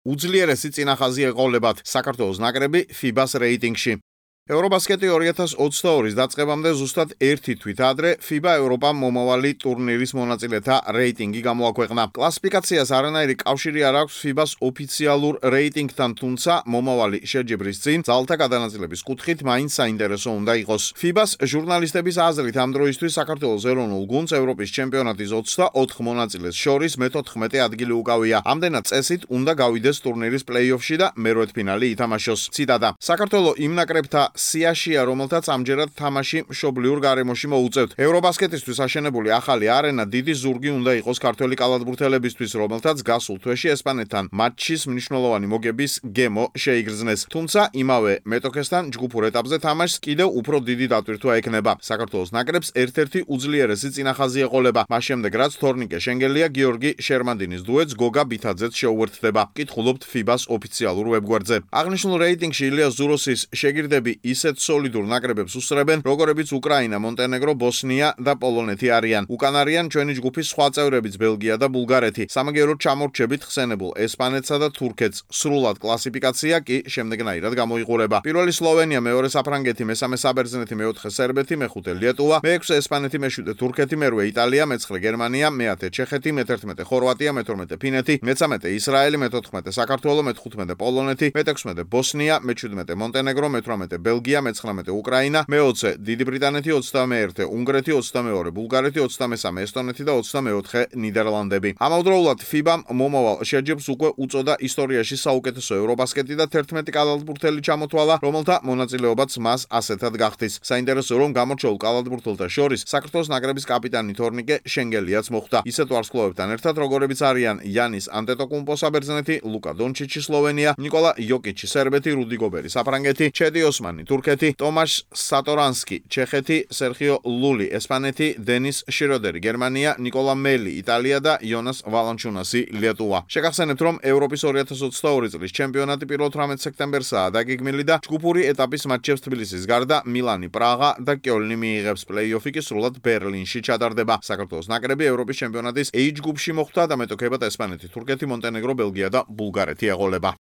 უძლიერესი წინახაზი ეყოლებათ საქართველოს ნაკრები FIBA-ს რეიტინგში. Eurobasket 2022-ის დაწყებამდე ზუსტად ერთი თვით ადრე FIBA ევროპამ მომავალი ტურნირის მონაწილეთა რეიტინგი გამოაქვეყნა. კლასიფიკაციას არანაირი კავშირი არ აქვს FIBA-ს ოფიციალურ რეიტინგთან, თუმცა მომავალი შეჯიბრის წინ ძალთა გადანაწილების კუთხით მაინც საინტერესო უნდა იყოს. FIBA-ს ჟურნალისტების აზრით ამ დროისთვის საქართველოს ეროვნულ გუნდს ევროპის ჩემპიონატის 24 მონაწილეს შორის მე-14 ადგილი უკავია. ამდენად წესით უნდა გავიდეს ტურნირის პლეი-ოფში და მერვედფინალი ითამაშოს. ციტატა: საქართველო იმ ნაკრებთა სიაშია, რომელთაც ამჯერად თამაში მშობლიურ გარემოში მოუწევთ. ევრობასკეტისთვის აშენებული ახალი არენა დიდი ზურგი უნდა იყოს ქართველი კალათბურთელებისთვის, რომელთაც გასულ თვეში ესპანეთთან მატჩის მნიშვნელოვანი მოგების გემო შეიგრძნეს. თუმცა იმავე მეტოქესთან ჯგუფურ ეტაპზე თამაშს კიდევ უფრო დიდი დატვირთვა ექნება. საქართველოს ნაკრებს ერთ-ერთი უძლიერესი წინახაზი ეყოლება. მას შემდეგ რაც თორნიკე შენგელია გიორგი შერმანდინის დუეტს გოგა ბითაძეც შეუერთდება. კითხულობთ FIBA-ს ოფიციალურ ვებგვერდზე. აღნიშნულ რეიტინგში ილიას ზუროსის შეგირდები ისეთ სოლიდურ ნაკრებებს უსწრებენ, როგორებიც უკრაინა, მონტენეგრო, ბოსნია და პოლონეთი არიან. უკან არიან ჩვენი ჯგუფის სხვა წევრებიც, ბელგია და ბულგარეთი. სამაგიეროდ ჩამორჩებით ხსენებულ ესპანეთსა და თურქეთს. სრულად კლასიფიკაცია კი შემდეგნაირად გამოიყურება. პირველი სლოვენია, მეორე საფრანგეთი, მესამე საბერძნეთი, მეოთხე სერბეთი, მეხუთე ლიეტუვა, მეექვსე ესპანეთი, მეშვიდე თურქეთი, მერვე იტალია, მეცხრე გერმანია, მეათე ჩეხეთი, მე-11 ხორვატია, მე-12 ფინეთი, მე-13 ისრაელი, მე-14 საქართველო, მე-15 პოლონეთი, მე-16 ბოსნია, მე-17 მონტენეგრო, მე-18 ბელგია, მე-19 უკრაინა, მე-20 დიდი ბრიტანეთი, 21 უნგრეთი, 22 ბულგარეთი, 23 ესტონეთი და 24 ნიდერლანდები. ამავდროულად FIBA-მ მომავალ შეჯიბრს უკვე უწოდა ისტორიაში საუკეთესო ევრობასკეტი და 11 კალათბურთელი ჩამოთვალა, რომელთა მონაწილეობაც მას ასეთად გახდის. საინტერესო რომ გამორჩეულ კალათბურთელთა შორის საქართველოს ნაკრების კაპიტანი თორნიკე შენგელიაც მოხვდა. ისეთ ვარსკვლავებთან ერთად, როგორებიც არიან იანის ანტეტოკუმპო საბერძნეთი, ლუკა დონჩიჩი სლოვენია, ნიკოლა იოკიჩი სერბეთი, რუდი გობერი საფრანგეთი, ჩედი ოსმანი თურქეთი, ტომაშ სატორანსკი ჩეხეთი, სერხიო ლული ესპანეთი, დენის შიროდერი გერმანია, ნიკოლა მელი იტალია და იონას ვალანჩუნასი ლიეტუვა. შეგახსენებთ, რომ ევროპის 2022 წლის ჩემპიონატი 18 სექტემბერსაა დაგეგმილი და ჯგუფური ეტაპის მატჩებს თბილისის გარდა მილანი, პრაღა და კიოლნი მიიღებს. პლეი-ოფი კი სრულად ბერლინში ჩატარდება. საქართველოს ნაკრები ევროპის ჩემპიონატის A ჯგუფში მოხვდა და მეტოქებად ესპანეთი, თურქეთი, მონტენეგრო, ბელგია და ბულგარეთი ეყოლება.